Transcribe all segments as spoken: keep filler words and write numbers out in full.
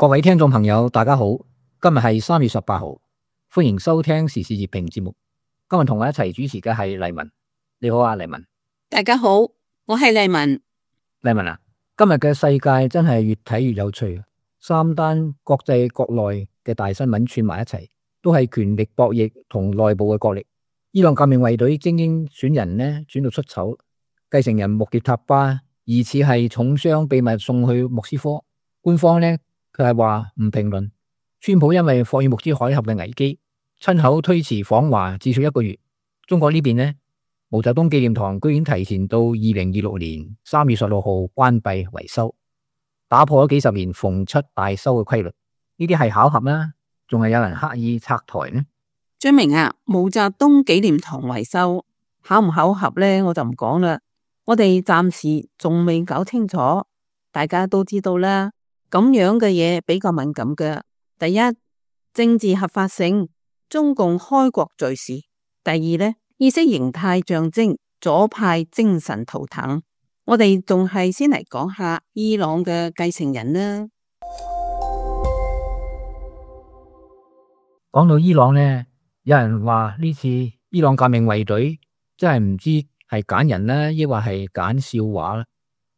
各位聽眾朋友，大家好，今日係三月十八號，歡迎收聽時事熱評節目。今日同我一齊主持嘅係麗文，你好啊，麗文。大家好，我係麗文。麗文啊，今日嘅世界真係越睇越有趣，三單國際國內嘅大新聞串埋一齊，都係權力博弈同內部嘅角力。伊朗革命衛隊精英選人呢轉到出醜，繼承人穆傑塔巴疑似係重傷，秘密送去莫斯科。官方呢，佢係話唔評論。川普因為霍爾木茲海峽嘅危機，親口推遲訪華至少一個月。中國呢邊呢，毛澤東紀念堂居然提前到二零二六年三月十六號關閉維修，打破咗幾十年逢七大修嘅規律。呢啲係巧合啦，仲係有人刻意拆台呢？張明啊，毛澤東紀念堂維修巧唔巧合呢？我就唔講啦。我哋暫時仲未搞清楚，大家都知道啦。咁樣嘅嘢比較敏感嘅。第一，政治合法性，中共開國罪事；第二呢，意識形態象徵，左派精神圖騰。我哋仲係先嚟講下伊朗嘅繼承人啦。講到伊朗呢，有人話呢次伊朗革命衛隊真係唔知係揀人啦，抑或係揀笑話啦。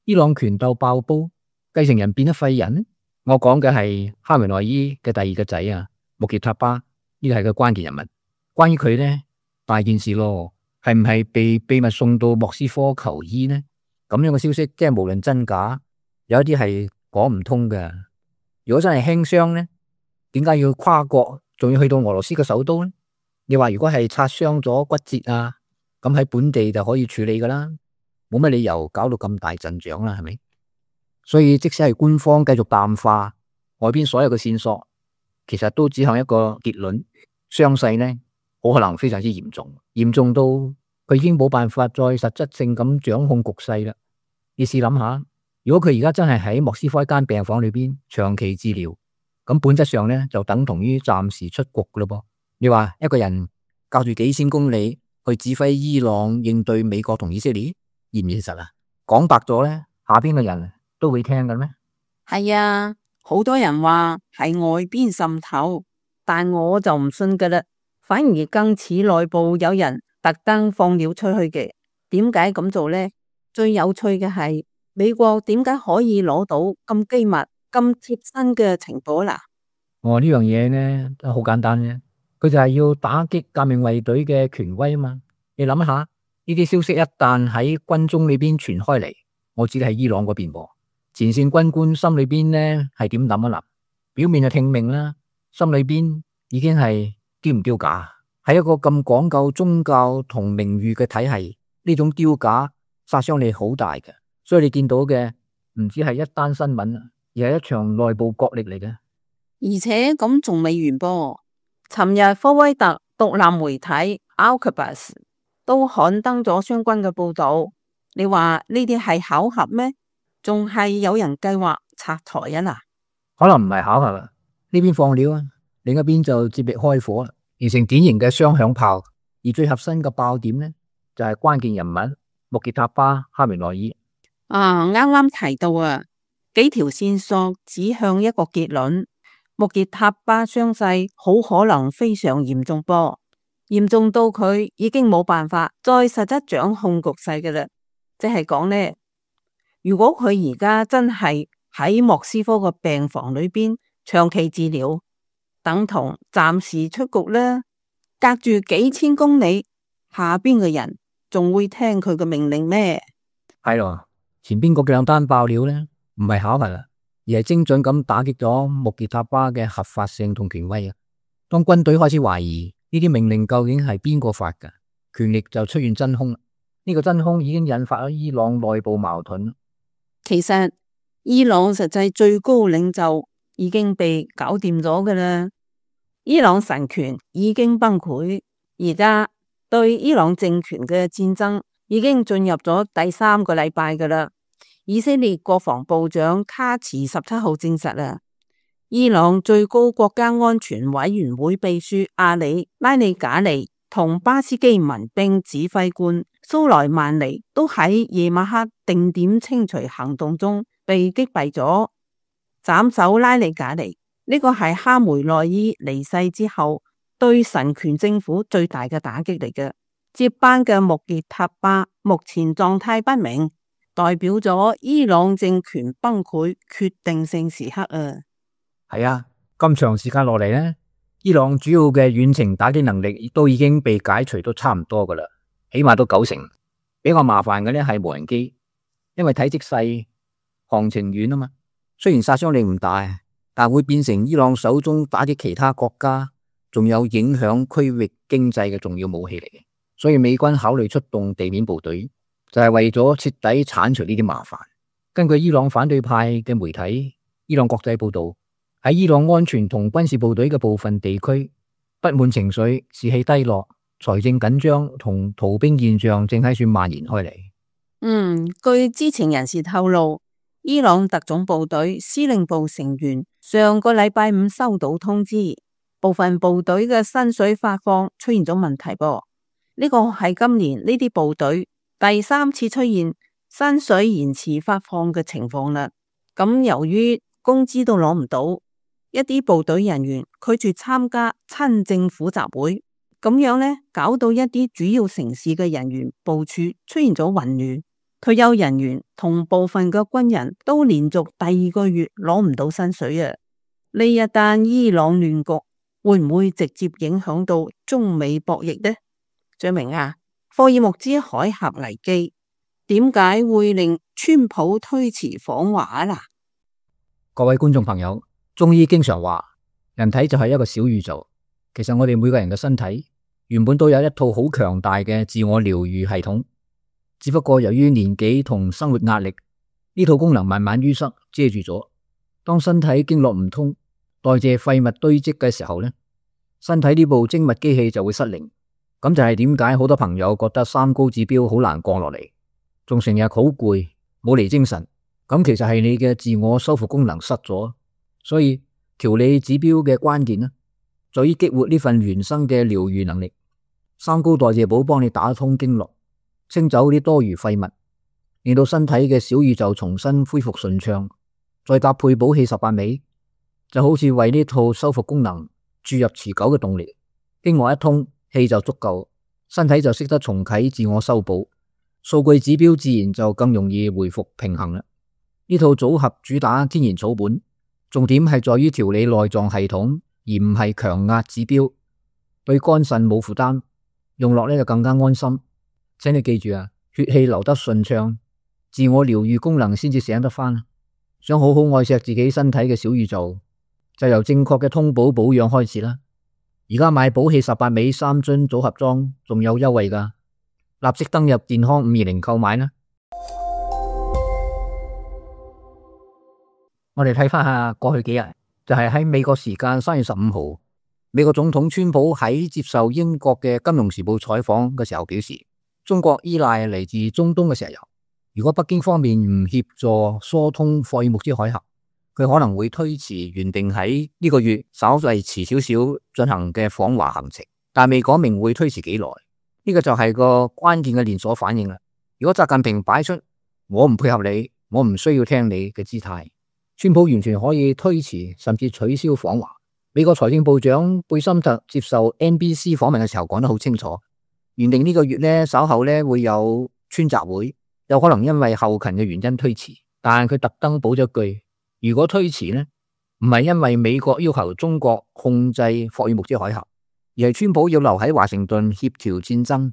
伊朗權鬥爆煲，繼承人變得廢人。我講嘅係哈梅內伊嘅第二個仔啊，穆傑塔巴，呢個係個關鍵人物。關於佢呢，大件事咯，係唔係被秘密送到莫斯科求醫呢？咁樣嘅消息，即係無論真假，有一啲係講唔通嘅。如果真係輕傷呢，點解要跨國，仲要去到俄羅斯嘅首都呢？你話如果係擦傷咗骨折啊，咁喺本地就可以處理噶啦，冇乜理由搞到咁大陣仗啦，係咪？所以即使係官方繼續淡化外邊所有嘅線索，其實都指向一個結論：傷勢呢，好可能非常之嚴重，嚴重到佢已經冇辦法再實質性咁掌控局勢啦。你試諗下，如果佢而家真係喺莫斯科一間病房裏邊長期治療，咁本質上呢，就等同於暫時出局噶咯噃。你話一個人隔住幾千公里去指揮伊朗應對美國同以色列，現唔現實啊？講白咗呢，下邊嘅人都會聽嘅咩？係啊，好多人話係外邊滲透，但我就唔信噶啦，反而更似內部有人特登放料出去嘅。點解咁做呢？最有趣嘅係美國點解可以攞到咁機密、咁貼身嘅情報啦？哦，呢樣嘢呢都好簡單啫，佢就係要打擊革命衛隊嘅權威啊嘛。你諗下，呢啲消息一旦喺軍中裏邊傳開嚟，我指嘅係伊朗嗰邊噃。前線軍官心裏邊呢係點諗一諗？表面就聽命啦，心裏邊已經係丟唔丟架？喺一個咁講究宗教同名譽嘅體系，呢種丟架殺傷力好大嘅。所以你見到嘅唔止係一單新聞，而係一場內部角力嚟嘅。而且咁仲未完噃。尋日科威特獨立媒體 Al-Quds 都刊登咗相關嘅報道。你話呢啲係巧合咩？仲係有人計劃拆台啊嗱？可能唔係巧合啦，呢邊放料啊，另一邊就接力開火啦，形成典型嘅雙響炮。而最核心嘅爆點呢，就係、是、關鍵人物穆傑塔巴哈梅內伊。啊，啱啱提到啊，幾條線索指向一個結論：穆傑塔巴傷勢好可能非常嚴重噃，嚴重到佢已經冇辦法再實質掌控局勢嘅啦。即係講呢，如果佢而家真係喺莫斯科個病房裏邊長期治療，等同暫時出局啦。隔住幾千公里，下邊嘅人仲會聽佢嘅命令咩？係咯，前邊嗰兩單爆料呢，唔係巧合啦，而係精準咁打擊咗穆傑塔巴嘅合法性同權威啊。當軍隊開始懷疑呢啲命令究竟係邊個發㗎，權力就出現真空。呢個真空已經引發咗伊朗內部矛盾。其實伊朗實際最高領袖已經被搞掂咗㗎啦，伊朗神權已經崩潰，而家對伊朗政權嘅戰爭已經進入咗第三個禮拜㗎啦。以色列國防部長卡茨十七號證實啦，伊朗最高國家安全委員會秘書阿里拉尼賈尼同巴斯基民兵指揮官蘇萊曼尼都喺夜晚黑定點清除行動中被擊斃咗。斬首拉里賈尼。呢個係哈梅內伊離世之後對神權政府最大嘅打擊嚟嘅。接班嘅穆傑塔巴目前狀態不明，代表咗伊朗政權崩潰決定性時刻啊！係啊，咁長時間落嚟呢，伊朗主要嘅遠程打擊能力都已經被解除都差唔多噶啦，起碼都九成。比較麻煩嘅呢係無人機，因為體積細、航程遠啊嘛。雖然殺傷力唔大，但會變成伊朗手中打擊其他國家，仲有影響區域經濟嘅重要武器嚟嘅。所以美軍考慮出動地面部隊，就係為咗徹底鏟除呢啲麻煩。根據伊朗反對派嘅媒體伊朗國際報道，喺伊朗安全同軍事部隊嘅部分地區，不滿情緒、士氣低落、財政緊張同逃兵現象正喺處蔓延開嚟。嗯，據知情人士透露，伊朗特種部隊司令部成員上個禮拜五收到通知，部分部隊嘅薪水發放出現咗問題噃。呢個係今年呢啲部隊第三次出現薪水延遲發放嘅情況啦。咁由於工資都攞唔到，一啲部隊人員拒絕參加親政府集會，咁樣呢，搞到一啲主要城市嘅人員部署出現咗混亂。退休人員同部分嘅軍人都連續第二個月攞唔到薪水啊！呢一單伊朗亂局會唔會直接影響到中美博弈呢？張明啊，霍爾木茲海峽危機點解會令川普推遲訪華啦？各位觀眾朋友，中醫經常話人體就係一個小宇宙，其實我哋每個人嘅身體原本都有一套好強大嘅自我療愈系統。只不過由於年紀同生活壓力，呢套功能慢慢淤塞遮住咗。當身體經絡唔通，代謝廢物堆積嘅時候呢，身體呢部精密機器就會失靈。咁就係點解好多朋友覺得三高指標好難降落嚟，仲成日好攰，冇嚟精神。咁其實係你嘅自我修復功能失咗。所以調理指標嘅關鍵呢，在於激活呢份原生嘅療愈能力。三高代謝寶幫你打通經絡，清走啲多餘廢物，令到身體嘅小宇宙重新恢復順暢，再搭配補氣十八味，就好似為呢套修復功能注入持久嘅動力。經絡一通，氣就足夠，身體就識得重啟自我修補，數據指標自然就更容易回復平衡啦。呢套組合主打天然草本，重點係在於調理內臟系統，而唔係強壓指標，對肝腎冇負擔，用落呢就更加安心。請你記住啊，血氣流得順暢，自我療愈功能先至醒得返。想好好愛錫自己身體嘅小宇宙，就由正確嘅通補保養開始啦。而家買補氣十八味三樽組合裝仲有優惠㗎，立即登入健康五二零購買啦。我哋睇返下過去幾日，就係喺美國時間三月十五號，美國總統川普喺接受英國嘅金融時報採訪嘅時候表示，中國依賴嚟自中東嘅石油，如果北京方面唔協助疏通霍爾木茲海峽，佢可能會推遲原定喺呢個月稍為遲少少進行嘅訪華行程，但未講明會推遲幾耐。呢個就係個關鍵嘅連鎖反應啦。如果習近平擺出我唔配合你，我唔需要聽你嘅姿態，川普完全可以推遲甚至取消訪華。美國財政部長貝森特接受 N B C 訪問嘅時候講得好清楚，原定呢個月呢，稍後呢會有川習會，有可能因為後勤嘅原因推遲，但係佢特登補咗句，如果推遲呢，唔係因為美國要求中國控制霍爾木茲海峽，而係川普要留喺華盛頓協調戰爭。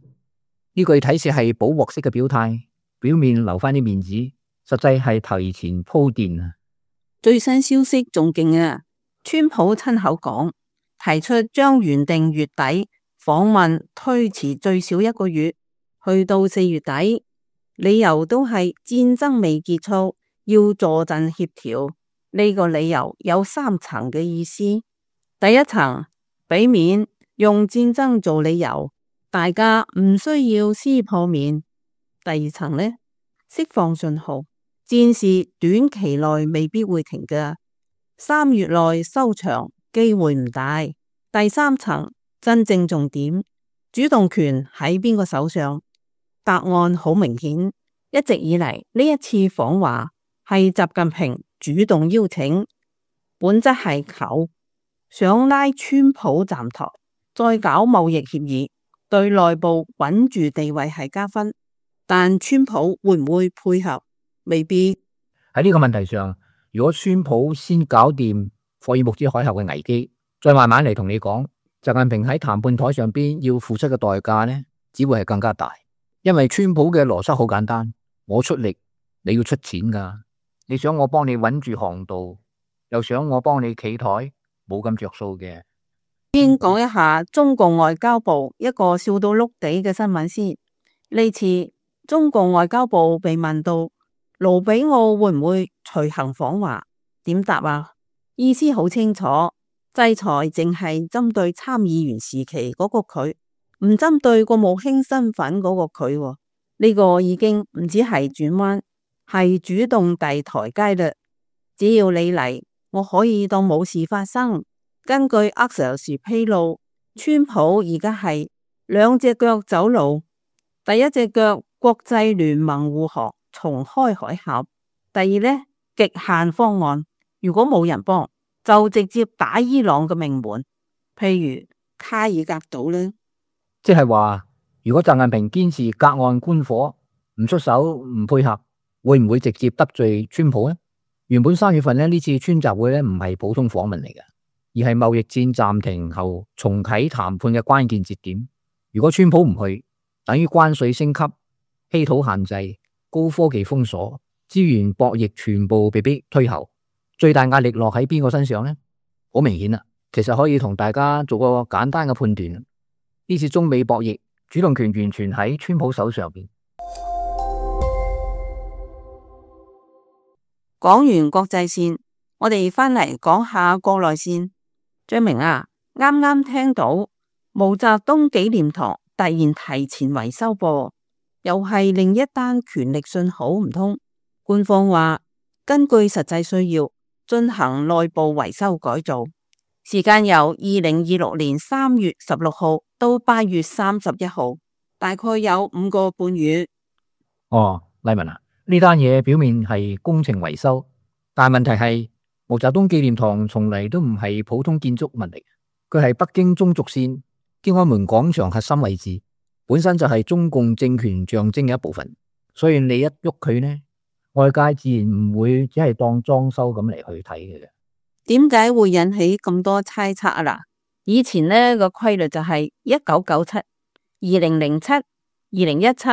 呢句睇似係補鑊式嘅表態，表面留翻啲面子，實際係提前鋪墊啊！最新消息仲勁啊！川普親口講，提出將原定月底訪問推遲最少一個月，去到四月底，理由都係戰爭未結束，要坐鎮協調。呢個理由有三層嘅意思。第一層，俾面用戰爭做理由，大家唔需要撕破面。第二層呢，釋放信號，戰事短期內未必會停㗎，三月內收場機會唔大。第三層，真正重點，主動權喺邊個手上？答案好明顯，一直以嚟呢一次訪華係習近平主動邀請，本質係求想拉川普站台，再搞貿易協議，對內部穩住地位係加分。但川普會唔會配合？未必。喺呢個問題上，如果川普先搞掂霍爾木茲海峽嘅危機，再慢慢嚟同你講，習近平喺談判台上邊要付出嘅代價呢，只會係更加大。因為川普嘅邏輯好簡單，我出力，你要出錢噶。你想我幫你穩住航道，又想我幫你企台，冇咁着數嘅。先講一下中共外交部一個笑到碌地嘅新聞先。呢次中共外交部被問到盧比奧會唔會隨行訪華，點答啊？意思好清楚，制裁淨係針對參議員時期嗰個佢，唔針對國務卿身份嗰個佢喎。呢個已經唔止係轉彎，係主動遞台階嘞。只要你嚟，我可以當冇事發生。根據 Axios 披露，川普而家係兩隻腳走路，第一隻腳國際聯盟護航，重開海峽；第二呢，極限方案，如果冇人幫，就直接打伊朗嘅命門，譬如卡爾格島呢。即係話，如果習近平堅持隔岸觀火，唔出手唔配合，會唔會直接得罪川普呢？原本三月份呢呢次川習會呢唔係普通訪問嚟嘅，而係貿易戰暫停後重啟談判嘅關鍵節點。如果川普唔去，等於關稅升級、稀土限制、高科技封鎖、資源博弈全部被逼推後。最大壓力落喺邊個身上呢？好明顯啦，其實可以同大家做個簡單嘅判斷。呢次中美博弈主動權完全喺川普手上邊。講完國際線，我哋翻嚟講下國內線。張明啊，啱啱聽到毛澤東紀念堂突然提前維修噃，又係另一單權力信號唔通？官方話根據實際需要進行內部維修改造，時間由二零二六年三月十六號到八月三十一號，大概有五個半月。哦，麗文啊，呢單嘢表面係工程維修，但問題係毛澤東紀念堂從嚟都唔係普通建築物嚟，佢係北京中軸線天安門廣場核心位置，本身就係中共政權象徵嘅一部分，所以你一喐佢呢，外界自然唔會只係當裝修咁嚟去睇嘅。點解會引起咁多猜測啊？嗱，以前呢個規律就係一九九七、二零零七、二零一七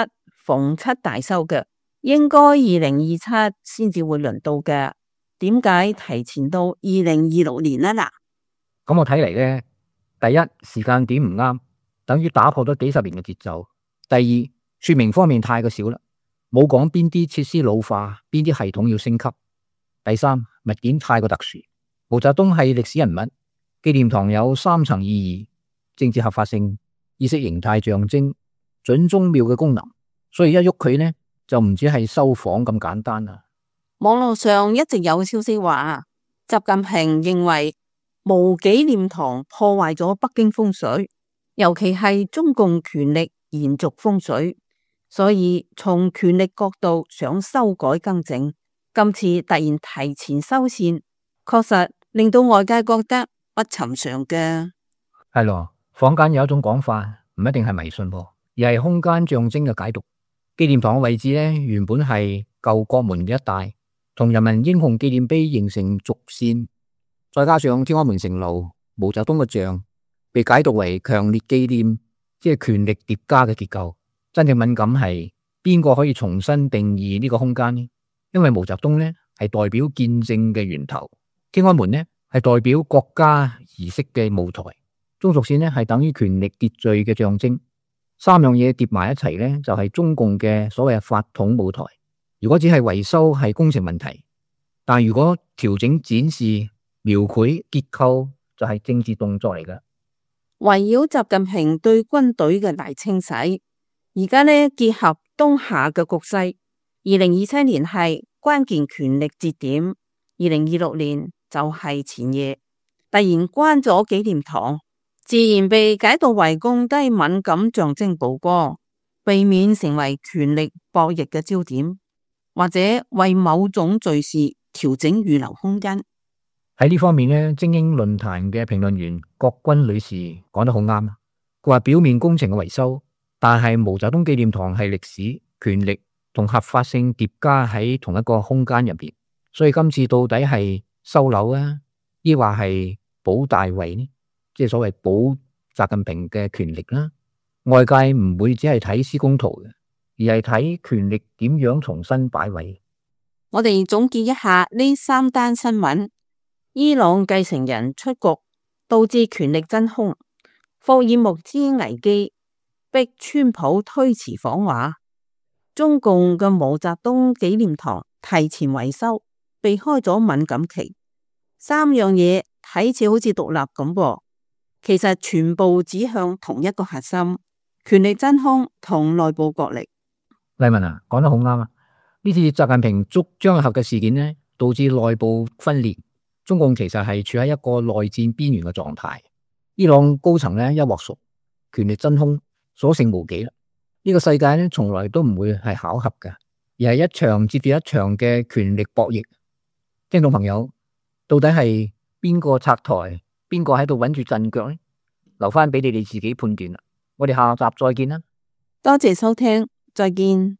逢七大修嘅，應該二零二七先至會輪到嘅。點解提前到二零二六年呢？嗱，咁我睇嚟呢，第一時間點唔啱，等於打破咗幾十年嘅節奏；第二說明方面太過少啦，冇講邊啲設施老化，邊啲系統要升級；第三物件太過特殊。毛澤東係歷史人物，紀念堂有三層意義：政治合法性、意識形態象徵、準宗廟嘅功能。所以一喐佢呢，就唔止係修仿咁簡單啦。網絡上一直有消息話，習近平認為毛紀念堂破壞咗北京風水，尤其係中共權力延續風水，所以從權力角度想修改更正。今次突然提前修繕，確實令到外界覺得不尋常嘅。係咯，坊間有一種講法，唔一定係迷信噃，而係空間象徵嘅解讀。紀念堂嘅位置呢，原本係舊國門嘅一帶，同人民英雄紀念碑形成軸線，再加上天安門城樓、毛澤東嘅像，被解讀為強烈紀念，即係權力疊加嘅結構。真正敏感係邊個可以重新定義呢個空間呢？因為毛澤東呢係代表見證嘅源頭，天安門呢係代表國家儀式嘅舞台，中軸線呢係等於權力秩序嘅象徵。三樣嘢疊埋一齊呢，就係中共嘅所謂法統舞台。如果只係維修係工程問題，但如果調整展示、描繪結構，就係政治動作嚟㗎。圍繞習近平對軍隊嘅大清洗，而家呢結合當下嘅局勢，二零二七年係關鍵權力節點，二零二六年就係前夜，突然關咗紀念堂，自然被解讀為降低敏感象徵曝光，避免成為權力博弈嘅焦點，或者為某種敘事調整預留空間。喺呢方面呢，精英論壇嘅評論員郭君女士講得好啱。佢話表面工程嘅維修，但係毛澤東紀念堂係歷史、權力同合法性疊加喺同一個空間入邊，所以今次到底係收樓啊，抑或係保大位呢？即係所謂保習近平嘅權力啦。外界唔會只係睇施工圖嘅，而係睇權力點樣重新擺位。我哋總結一下呢三單新聞：伊朗繼承人出局，導致權力真空；霍爾木茲危機逼川普推遲訪華；中共嘅毛澤東紀念堂提前維修，避開咗敏感期。三樣嘢睇似好似獨立咁噃，其實全部指向同一個核心：權力真空同內部角力。麗文啊，講得好啱啊！呢次習近平捉張合嘅事件呢，導致內部分裂，中共其實係處喺一個內戰邊緣嘅狀態。伊朗高層呢一鑊熟，權力真空，所剩無幾啦。呢個世界呢，從來都唔會係巧合嘅，而係一場接住一場嘅權力博弈。聽眾朋友，到底係邊個拆台，邊個喺度穩住陣腳呢？留翻俾你哋自己判斷啦。我哋下集再見啦。多謝收聽，再見。